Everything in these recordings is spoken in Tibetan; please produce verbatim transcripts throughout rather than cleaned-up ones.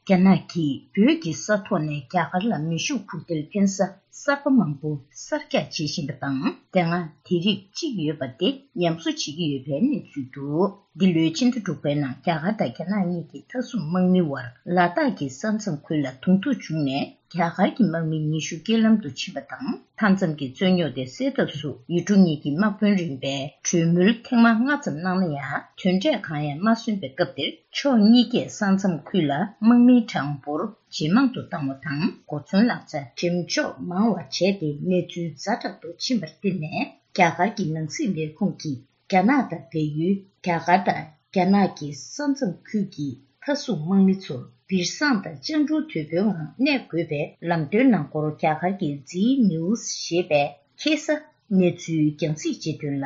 རྒྱ་ནག་གིས་བོད་ཀྱི་ས་ཐོག་ནས་རྒྱ་གར་ལ་མེ་ཤུགས་འཕུར་མདེལ་འཕེན་ས་གསར་པ་མང་པོ་གསར་རྒྱག་བྱེད་བཞིན་པ་དང་། དེ་སྔ་དེ་རིགས་གཅིག་ཡོད་པ་དེ་ཉམས་གསོ་བྱེད་ཀྱི་ཡོད་པའི་གནས་ཚུལ་འདུག་འདི་ལོའི་ཕྱི་ཟླ་དྲུག་པའི་ནང་རྒྱ་གར་དང་རྒྱ་ནག་གཉིས་ཀྱི་མཐའ་སྲུང་དམག་མི་དབར་ལ་དྭགས་ཀྱི་ས་མཚམས་ཁུལ་ལ་གདོང་ཐུག་བྱུང་ནས། རྒྱ་གར་གྱི་དམག་མི་ཉི་ཤུ་རྐྱེན་ལམ་དུ་ཕྱིན་པ་དང་། མཐའ་མཚམས་ཀྱི་རྩོད་རྙོག་དེ་སེལ་ཐབས་སུ་ཡུལ་གྲུ་གཉིས་ཀྱི་དམག་དཔོན་རིམ་པས་གྲོས་མོལ་ཐེངས་མ་ལྔ་ཙམ་གནང་ན་ཡང་། དོན་འབྲས་གང་ཡང་མ་སོན་པའི་སྐབས་དེར། ཕྱོགས་གཉིས་ཀས་ས་མཚམས་ཁུལ་ལ་དམག་མིའི་གྲངས་འབོར་ཇེ་མང་དུ་བཏང་བ་དང་། གོ་མཚོན་ལག་ཆ་འགྲེམས་འཇོག་མང་བ་བྱས་ཏེ། གནས་ཚུལ་ཛ་དྲག་ཏུ་ཕྱིན་པར་བརྟེན་ནས། རྒྱ་གར་གྱི་ནང་སྲིད་ལས་ཁུངས་ཀྱིས་རྒྱ་ནག་དང་བལ་ཡུལ། རྒྱ་གར་དང་རྒྱ་ནག་གི་ས་མཚམས་ཁུལ་གྱི་མཐའ་སྲུང་དམག་མི་ཚོར་སྦིར་སང་དང་སྤྱང་གྲུང་དོད་པོའི་ངང་གནས་དགོས་པའི་ལམ་སྟོན་གནང་སྐོར། རྒྱ་གར་གྱི་ཛི་ནིའུ་སི་ཞེས་པས་ཁ་སང་གནས་ཚུལ་རྒྱང་སྲིང་བྱས་དོན་ལ།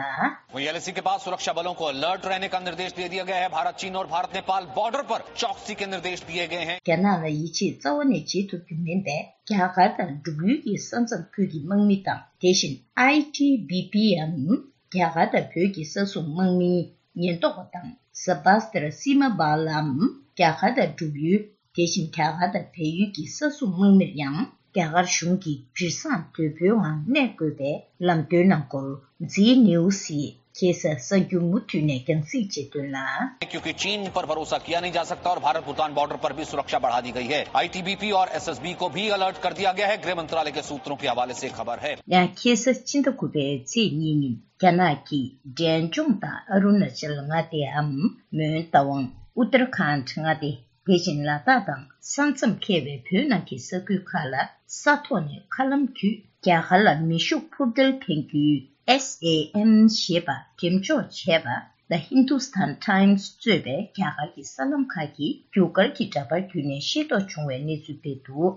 वहीं एलएसी के पास सुरक्षा बलों को अलर्ट रहने का निर्देश दे दिया गया है। भारत, चीन और भारत नेपाल बॉर्डर पर चौकसी के निर्देश दिए गए हैं। རྒྱ་ནག་ལ་ཡིད་ཆེས་རྩ་བ་ནས་བྱེད་ཐུབ་རྒྱུ་མིན་པས། རྒྱ་གར་དང་འབྲུག་ཡུལ་གྱི་ས་མཚམས་ཁུལ་གྱི་དམག་མི་དང་། དེ་བཞིན་ཨའི་ཊི་བི་པིའམ་རྒྱ་གར་དང་བོད་ཀྱི་ས་སྲུང་དམག་མིའི་ཉེན་རྟོག་པ་དང་། ས་བྷ་སྟར་སི་མ་བྷ་ལའམ་རྒྱ་གར་དང་འབྲུག་ཡུལ། དེ་བཞིན་རྒྱ་གར་དང་བལ་ཡུལ་གྱི་ས་སྲུང་དམག་མིར་ཡང་རྒྱ་གར་གཞུང་གིས་སྦིར་སང་དོད་པོའི་ངང་གནས་དགོས་པའི་ལམ་སྟོན་གནང་སྐོར། ཛི་ནིའུ་སིས་ཁ་སང་གཟའ་མཇུག་མུ་མཐུད་ནས་རྒྱང་སྲིང་བྱས་དོན་ལ། क्योंकि चीन पर भरोसा किया नहीं जा सकता और भारत भूटान बॉर्डर पर भी सुरक्षा बढ़ा दी गई है। आईटीबीपी और एसएसबी को भी अलर्ट कर दिया गया है, गृह मंत्रालय के सूत्रों के हवाले से खबर है। ཡང་ཁ་སང་ཕྱི་ཟླ་དགུ་པའི་ཚེས་གཉིས་ཉིན། རྒྱ་ནག་གིས་འབྲས་ལྗོངས་དང་ཨ་རུ་ན་ཅལ་མངའ་སྡེའམ་མོན་རྟ་དབང་། ཨུ་ཏར་ཁཱན་མངའ་སྡེ། དེ་བཞིན་ལ་དྭགས་དང་ས་མཚམས་ཁེལ་བའི་བོད་ནང་གི་ས་ཁུལ་ཁག་ལ་ས་ཐོག་ནས་མཁའ་ལམ་བརྒྱུད་རྒྱ་གར་ལ་མེ་ཤུགས་འཕུར་མདེལ་འཕེན་རྒྱུའི་ཨེས་ཨེ་ཨེམ་ཞེས་པ་འགྲེམས་འཇོག་བྱས་པ། The Hindustan Times་གཙོས་པའི་རྒྱ་གར་གྱི་གསར་ལམ་ཁག་གིས་རྒྱུ་སྐར་གྱི་འདྲ་པར་བརྒྱུད་ནས་ཤེས་རྟོགས་བྱུང་བའི་གནས་ཚུལ་སྤེལ་འདུག་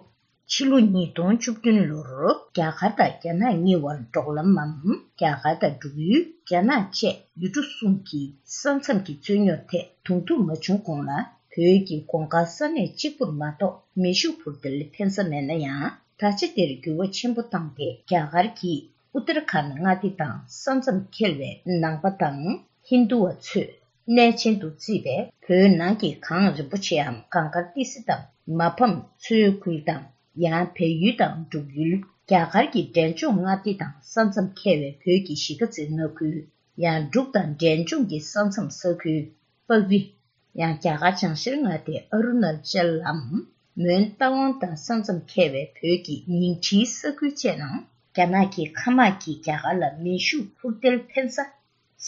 ཕྱི་ལོ་ཉིས་སྟོང་བཅུ་བདུན་ལོར་རྒྱ་གར་དང་རྒྱ་ནག་གཉིས་དབར་འབྲོག་ལམ་མམ། རྒྱ་གར་དང་འབྲུག་ཡུལ། རྒྱ་ནག་བཅས་ཡུལ་གྲུ་གསུམ་གྱི་ས་མཚམས་ཀྱི་རྩོད་རྙོག་ཐད་གདོང་ཐུག་མ་བྱུང་གོང་ལ། བོད་ཀྱི་གོང་དཀར་ས་གནས་གཅིག་པུར་མ་གཏོགས་མེ་ཤུགས་འཕུར་མདེལ་འཕེན་ས་མེད་ན་ཡང་། ད་ཆ་དེར་འགྱུར་བ་ཆེན་པོ་བཏང་སྟེ། རྒྱ་གར་གྱིས་ཨུ་ཏར་ཁཱན་མངའ་སྡེ་དང་ས་མཚམས་ཁེལ་བའི་ནང་པ་དང་ཧིན་རྡུ་བ་ཚོས་གནས་ཆེན་དུ་བརྩིས་པའི་བོད་ནང་གི་གངས་རིན་པོ་ཆེའམ་གངས་དཀར་ཏི་སེ་དང་མ་ཕམ་མཚོའི་ཁུལ་དང་། ཡང་བལ་ཡུལ་དང་འབྲུག་ཡུལ། རྒྱ་གར་གྱི་འབྲས་ལྗོངས་མངའ་སྡེ་དང་ས་མཚམས་ཁེལ་བའི་བོད་ཀྱི་གཞིས་ཀ་རྩེ་མངའ་ཁུལ། ཡང་འབྲུག་དང་འབྲས་ལྗོངས་ཀྱི་ས་མཚམས་ས་ཁུལ། པག་རི། ཡང་རྒྱ་གར་བྱང་ཤར་མངའ་སྡེ་ཨ་རུ་ན་ཅལ་ལམ། མོན་རྟ་དབང་དང་ས་མཚམས་ཁེལ་བའི་བོད་ཀྱི་ཉིང་ཁྲིའི་ས་ཁུལ་བཅས་ནང་རྒྱ་ནག་གི་མཁའ་དམག་གིས་རྒྱ་གར་ལ་མེ་ཤུགས་འཕུར་མདེལ་འཕེན་ས་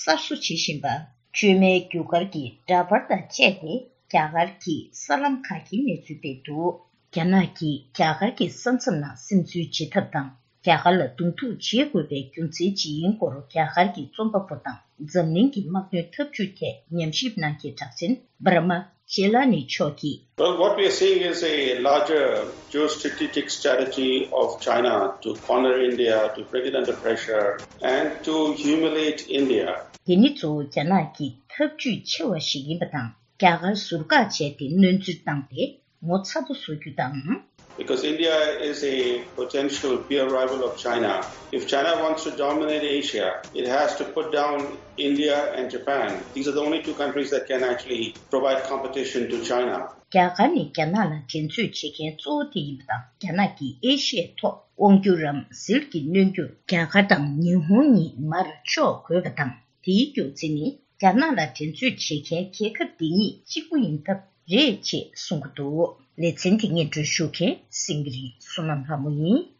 གསར་བཟོ་བྱེད་བཞིན་པ། བཅོས་མའི་རྒྱུ་སྐར་གྱི་འདྲ་པར་དང་བཅས་ཏེ། རྒྱ་གར་གྱི་གསར་ལམ་ཁག་གིས་གནས་ཚུལ་སྤེལ་འདུག་རྒྱ་ནག་གིས་རྒྱ་གར་གྱི་ས་མཚམས་ནང་སིམ་འཛུལ་བྱེད་ཐབས་དང་། རྒྱ་གར་ལ་གདོང་ཐུག་བྱེད་དགོས་པའི་རྒྱུ་མཚན་ཇི་ཡིན་སྐོར། རྒྱ་གར་གྱི་རྩོམ་པ་པོ་དང་འཛམ་གླིང་གི་དམག་དོན་འཐབ་ཇུས་ཐད་ཉམས་ཞིབ་གནང་མཁན་གྲགས་ཅན་པར་མ་ཇེ་ལ་ནི་མཆོག་གིས། Well, what we are seeing is a larger geostrategic strategy of China to corner India, to bring it under pressure, and to humiliate India. དེ་ནི་གཙོ་བོ་རྒྱ་ནག་གི་འཐབ་ཇུས་ཆེ་བ་ཞིག་ཡིན་པ་དང་། རྒྱ་གར་ཟུར་བཀག་བྱས་ཏེ་གནོན་འཚེ་བཏང་སྟེ། ངོ་ཚ་པོ་བཟོ་རྒྱུ་དང་། Because India is a potential peer rival of China. If China wants to dominate Asia, it has to put down India and Japan. These are the only two countries that can actually provide competition to China. རྒྱ་གར་ནི་རྒྱ་ནག་ལ་འགྲན་རྩོད་བྱེད་མཁན་གཙོ་བོ་དེ་ཡིན་པ་དང་། རྒྱ་ནག་གིས་ཨེ་ཤི་ཡའི་ཐོག་དབང་སྒྱུར་རམ་ཟིལ་གྱིས་གནོན་རྒྱུར་རྒྱ་གར་དང་ཉི་ཧོང་གཉིས་མར་ཕྱོགས་དགོས་པ་དང་། དེའི་རྒྱུ་མཚན་ནི། རྒྱ་ནག་ལ་འགྲན་རྩོད་བྱེད་མཁན་རྒྱལ་ཁབ་འདི་གཉིས་གཅིག་པུ་ཡིན་སྟབས་རེད་ཅེས་གསུང་གི་འདུག་ལེ་ཚན་འདི་སྙན་སྒྲོན་ཞུ་མཁན་སེང་གེ་རི་བསོད་ནམས་ལྷ་མོ་ཡིན།